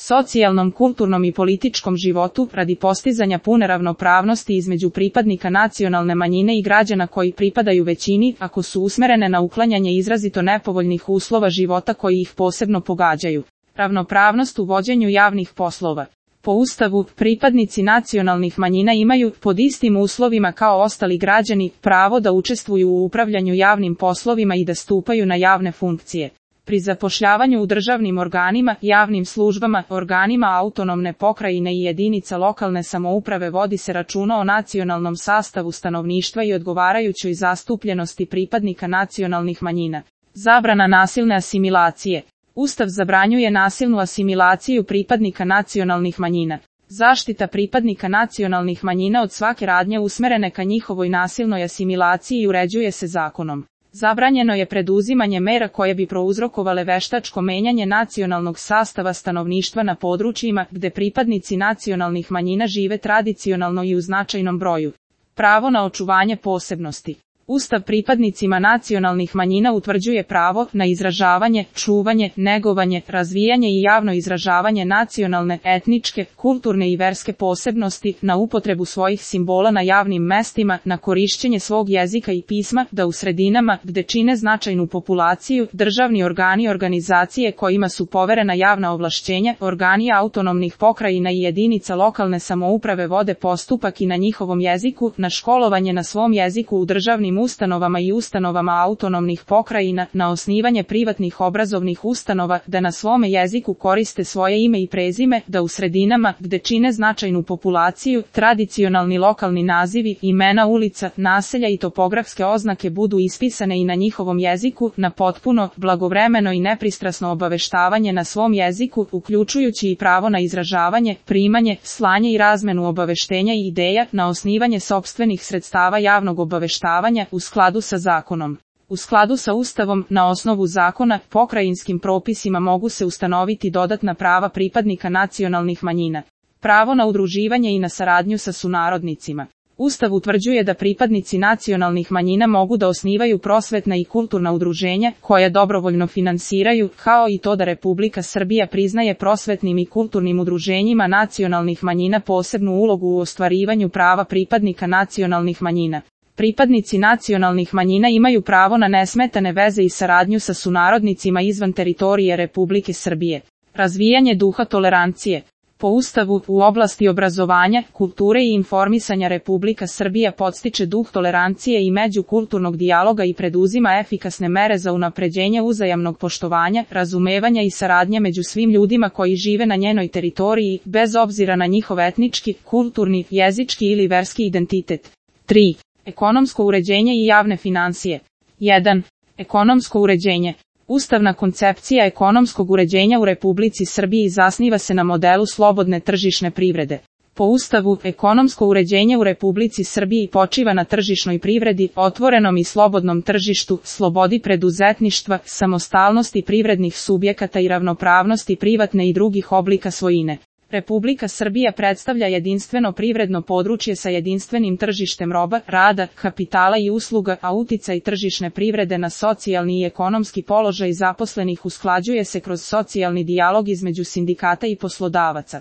socijalnom, kulturnom i političkom životu radi postizanja pune ravnopravnosti između pripadnika nacionalne manjine i građana koji pripadaju većini, ako su usmerene na uklanjanje izrazito nepovoljnih uslova života koji ih posebno pogađaju. Ravnopravnost u vođenju javnih poslova. Po Ustavu, pripadnici nacionalnih manjina imaju, pod istim uslovima kao ostali građani, pravo da učestvuju u upravljanju javnim poslovima i da stupaju na javne funkcije. Pri zapošljavanju u državnim organima, javnim službama, organima autonomne pokrajine i jedinica lokalne samouprave vodi se računa o nacionalnom sastavu stanovništva i odgovarajućoj zastupljenosti pripadnika nacionalnih manjina. Zabrana nasilne asimilacije. Ustav zabranjuje nasilnu asimilaciju pripadnika nacionalnih manjina. Zaštita pripadnika nacionalnih manjina od svake radnje usmerene ka njihovoj nasilnoj asimilaciji uređuje se zakonom. Zabranjeno je preduzimanje mera koje bi prouzrokovale veštačko menjanje nacionalnog sastava stanovništva na područjima gde pripadnici nacionalnih manjina žive tradicionalno i u značajnom broju. Pravo na očuvanje posebnosti. Ustav pripadnicima nacionalnih manjina utvrđuje pravo na izražavanje, čuvanje, negovanje, razvijanje i javno izražavanje nacionalne, etničke, kulturne i verske posebnosti, na upotrebu svojih simbola na javnim mestima, na korišćenje svog jezika i pisma, da u sredinama, gde čine značajnu populaciju, državni organi i organizacije kojima su poverena javna ovlašćenja, organi autonomnih pokrajina i jedinica lokalne samouprave vode postupak i na njihovom jeziku, na školovanje na svom jeziku u državnim ustanovama i ustanovama autonomnih pokrajina, na osnivanje privatnih obrazovnih ustanova, da na svome jeziku koriste svoje ime i prezime, da u sredinama, gde čine značajnu populaciju, tradicionalni lokalni nazivi, imena ulica, naselja i topografske oznake budu ispisane i na njihovom jeziku, na potpuno, blagovremeno i nepristrasno obaveštavanje na svom jeziku, uključujući i pravo na izražavanje, primanje, slanje i razmenu obaveštenja i ideja, na osnivanje sopstvenih sredstava javnog obaveštavanja, u skladu sa zakonom. U skladu sa Ustavom, na osnovu zakona, pokrajinskim propisima mogu se ustanoviti dodatna prava pripadnika nacionalnih manjina. Pravo na udruživanje i na saradnju sa sunarodnicima. Ustav utvrđuje da pripadnici nacionalnih manjina mogu da osnivaju prosvetna i kulturna udruženja, koja dobrovoljno finansiraju, kao i to da Republika Srbija priznaje prosvetnim i kulturnim udruženjima nacionalnih manjina posebnu ulogu u ostvarivanju prava pripadnika nacionalnih manjina. Pripadnici nacionalnih manjina imaju pravo na nesmetane veze i saradnju sa sunarodnicima izvan teritorije Republike Srbije. Razvijanje duha tolerancije. Po Ustavu, u oblasti obrazovanja, kulture i informisanja Republika Srbija podstiče duh tolerancije i međukulturnog dijaloga i preduzima efikasne mere za unapređenje uzajamnog poštovanja, razumevanja i saradnje među svim ljudima koji žive na njenoj teritoriji, bez obzira na njihov etnički, kulturni, jezički ili verski identitet. 3. Ekonomsko uređenje i javne finansije. 1. Ekonomsko uređenje. Ustavna koncepcija ekonomskog uređenja u Republici Srbiji zasniva se na modelu slobodne tržišne privrede. Po Ustavu, ekonomsko uređenje u Republici Srbiji počiva na tržišnoj privredi, otvorenom i slobodnom tržištu, slobodi preduzetništva, samostalnosti privrednih subjekata i ravnopravnosti privatne i drugih oblika svojine. Republika Srbija predstavlja jedinstveno privredno područje sa jedinstvenim tržištem roba, rada, kapitala i usluga, a uticaj tržišne privrede na socijalni i ekonomski položaj zaposlenih usklađuje se kroz socijalni dijalog između sindikata i poslodavaca.